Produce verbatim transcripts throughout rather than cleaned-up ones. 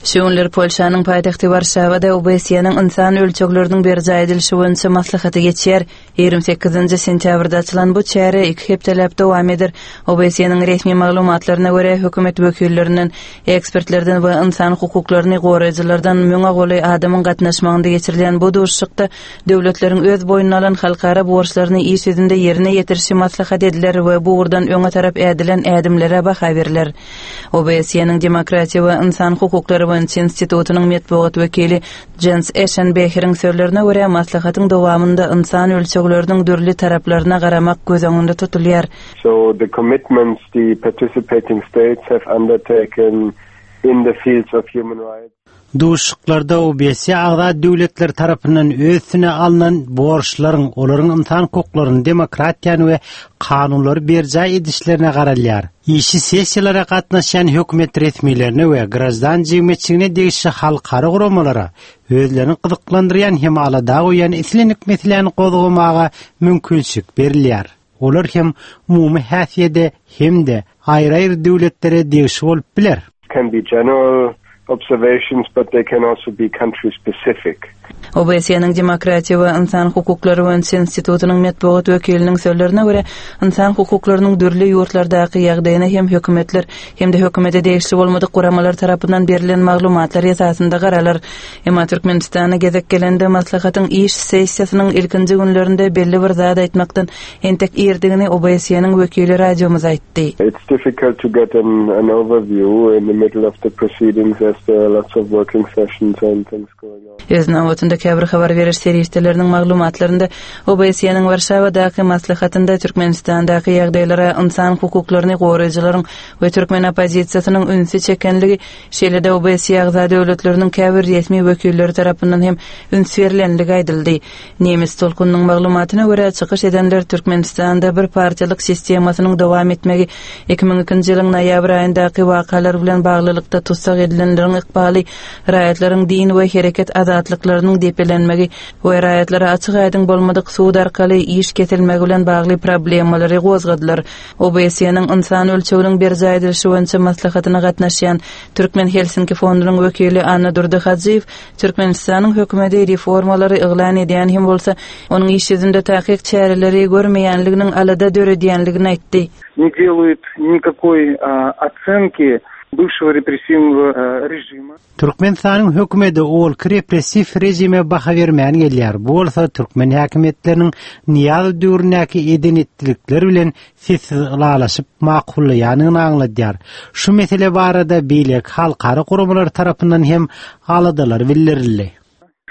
Şu günler Polşanyň paýtagty Warşawada O B S E-niň ynsan ölçegleriniň berjaý edilişi boýunça maslahaty geçýär. ýigrimi sekizinji sentýabrda açylan bu çäre iki hepdeläp dowam eder. O B S E-niň resmi maglumatlaryna görä, hökümet wekillerinden, ekspertlerden we ynsan hukuklaryny goraýjylardan müňe golaý adamyň gatnaşmagynda geçirilýän bu duşuşykda döwletleriň öz boýnuna alan halkara borçlaryny iş ýüzünde ýerine ýetirişi maslahat ediler we bu ugurdan öňe tarap ädilen ädimlere baha beriler. O B S E-niň Demokratiýa we ynsan hukuklary boýunça institutynyň metbugat wekili Jens Eşenbeheriň sözlerine görä, maslahatyň dowamynda ynsan ölçegleriniň dürli taraplaryna garamak göz öňünde tutulýar. So the commitments the participating states have undertaken in the fields of human rights. Duşuşyklarda O B S E agza döwletler tarapyndan öz üstüne alnan borçlaryň, olaryň ynsan hukuklaryny, demokratiýany we kanunlary berjaý edişlerine garalýar. Işi sessiýalara gatnaşýan hökümet resmilerine we graždan jemgyýetçiligine degişli halkara guramalara özlerini gyzyklandyrýan hem alada goýýan islendik meseläni gozgamaga mümkinçilik berilýär. Olar hem umumy häsiýetde hem-de aýry-aýry döwletlere degişli bolup biler. Can be general observations, but they can also be country specific. O B S E-niň Demokratiýa we ynsan hukuklary boýunça institutynyň metbugat wekiliniň sözlerine görä, ynsan hukuklarynyň dürli ýurtlardaky ýagdaýyna hem hökümetler hem-de hökümete degişli bolmadyk guramalar tarapyndan berilen maglumatlar esasynda garalar. Emma Türkmenistana gezek gelende maslahatyň iş sessiýasynyň ilkinji günlerinde belli bir zat aýtmakdan entek irdigini O B S E-niň wekili radiomyza aýtdy. It's difficult to get an, an overview in the middle of the proceedings as there are lots of working sessions and things going on. Öz nobatynda käbir habar beriş serişdeleriniň maglumatlarynda O B S E-niň Warşawadaky maslahatynda Türkmenistandaky ýagdaýlara ynsan hukuklaryny goraýjylaryň we türkmen oppozisiýasynyň ünsi çekenligi, şeýle-de O B S E agza döwletleriniň käbir resmi wekilleri tarapyndan hem üns berilenligi aýdyldy. Nemes tolkunynyň maglumatyna görä, çykyş edenler Türkmenistanda bir partiýalyk sistemasynyň dowam etmegi, iki müň ikinji ýylyň noýabr aýyndaky wakalar bilen baglylykda tussag edilenleriň ykbaly, raýatlaryň din we hereket azatlyklarynyň depelenmegi we raýatlara açyk aýdyň bolmadyk sud arkaly iş kesilmegi bilen bagly problemalary gozgadylar. O B S E-niň ynsan ölçeginiň berjaý edilişi boýunça maslahatyna gatnaşýan Türkmen Helsinki fondunyň wekili Annadurdy Hajyýew Türkmenistanyň hökümeti reformalary yglan edýän hem bolsa, onuň iş ýüzünde takyk çäreleri görmeýänliginiň alada döredýänligini aýtdy. Не делают никакой а, оценки бывшего репрессивного э, режима. Türkmenistanyň hökümeti ozalky repressiw režime baha bermän gelýär. Bu bolsa türkmen häkimiýetleriniň Nyýazow döwründäki eden-etdilikler bilen sessiz ylalaşyp makullaýanyny aňladýar. Şu mesele barada beýleki halkara guramalar tarapyndan hem aladalar bildirildi.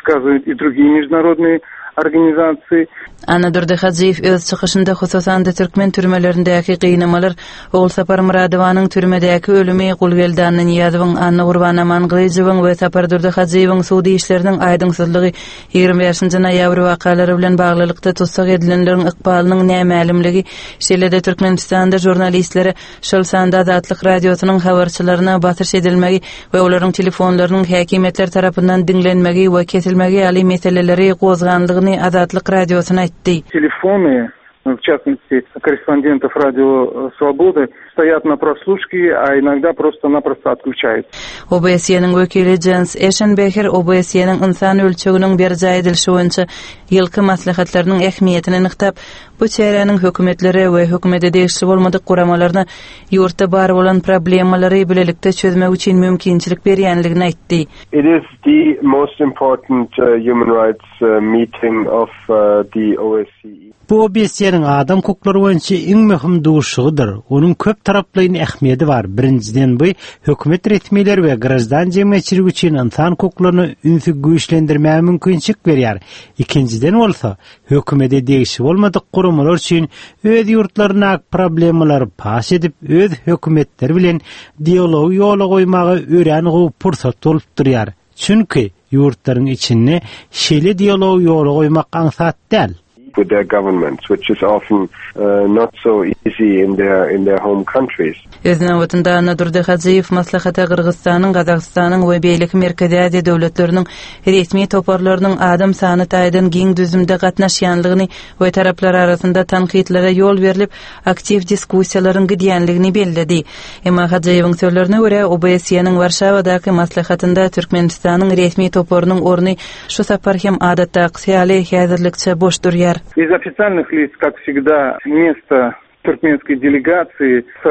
Сказывают и другие международные организации. Annadurdy Hajyýew öz çykyşynda hususan-da türkmen türmelerindäki gynamalar, Ogulsapar Myradowanyň türmedäki ölümi, Gulgeldi Annanyýazowyň, Annagurban Amangylyjowyň we Sapardurdy Hajyýewiň sud işleriniň aýdyňsyzlygy, ýigrimi bäşinji noýabr wakalary bilen baglylykda tussag edilenleriň ykbalynyň nämälimligi, şeýle-de Türkmenistanda žurnalistlere, şol sanda Azatlyk radiosynyň habarçylaryna basyş edilmegi we olaryň telefonlarynyň häkimiýetler tarapyndan diňlenmegi we kesilmegi ýaly meseleleri gozganlygyny Azatlyk radiosyna aýtdy. Телефоны, в частности, корреспондентов Радио Свободы, стоят на прослушке, а иногда просто-напросто отключаются. O B S E-niň wekili Jens Eşenbeher O B S E-niň ynsan ölçeginiň berjaý edilişi boýunça ýylky maslahatlarynyň ähmiýetini nygtap, bu çäräniň hökümetlere we hökümete degişli bolmadyk guramalaryna ýurtda bar bolan problemalary bilelikde çözmek üçin mümkinçilik berýänligini aýtdy. It is the most important uh, human rights uh, meeting of uh, the O S C E. Bu O B S E-niň adam hukuklary boýunça iň möhüm duşuşygydyr. Onuň köp taraplaýyn ähmiýeti bar. Birinjiden, bu hökümet resmileri we graždan jemgyýetçiligi üçin ynsan hukuklaryna ünsi güýçlendirmäge mümkinçilik berýär. Ikinjiden bolsa, hökümete degişli bolmadyk guramalar üçin öz ýurtlaryna problemalary paş edip, öz hökümetleri bilen dialogy ýola goýmaga örän gowy pursat bolup durýar. Çünki ýurtlaryň içinde şeýle dialogy ýola goýmak aňsat däl. with their governments, which is often uh, not so easy in their in their home countries. Öz nobatynda Annadurdy Hajyýew maslahata Gyrgyzystanyň, Gazagystanyň we beýleki Merkezi Aziýa döwletleriniň resmi toparlarynyň adam sany taýdan giň düzümde gatnaşýanlygyny we taraplar arasynda tankytlara ýol berlip, aktiw diskussiýalaryň gidýänligini belledi. Emma Hajyýewiň sözlerine görä, O B S E-niň Warşawadaky maslahatynda Türkmenistanyň resmi toparynyň orny şu sapar hem adatdaky ýaly häzirlikçe boş durýar. Из официальных лиц, как всегда, место туркменской делегации с,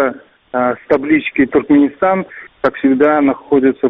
с таблички «Туркменистан», как всегда, находится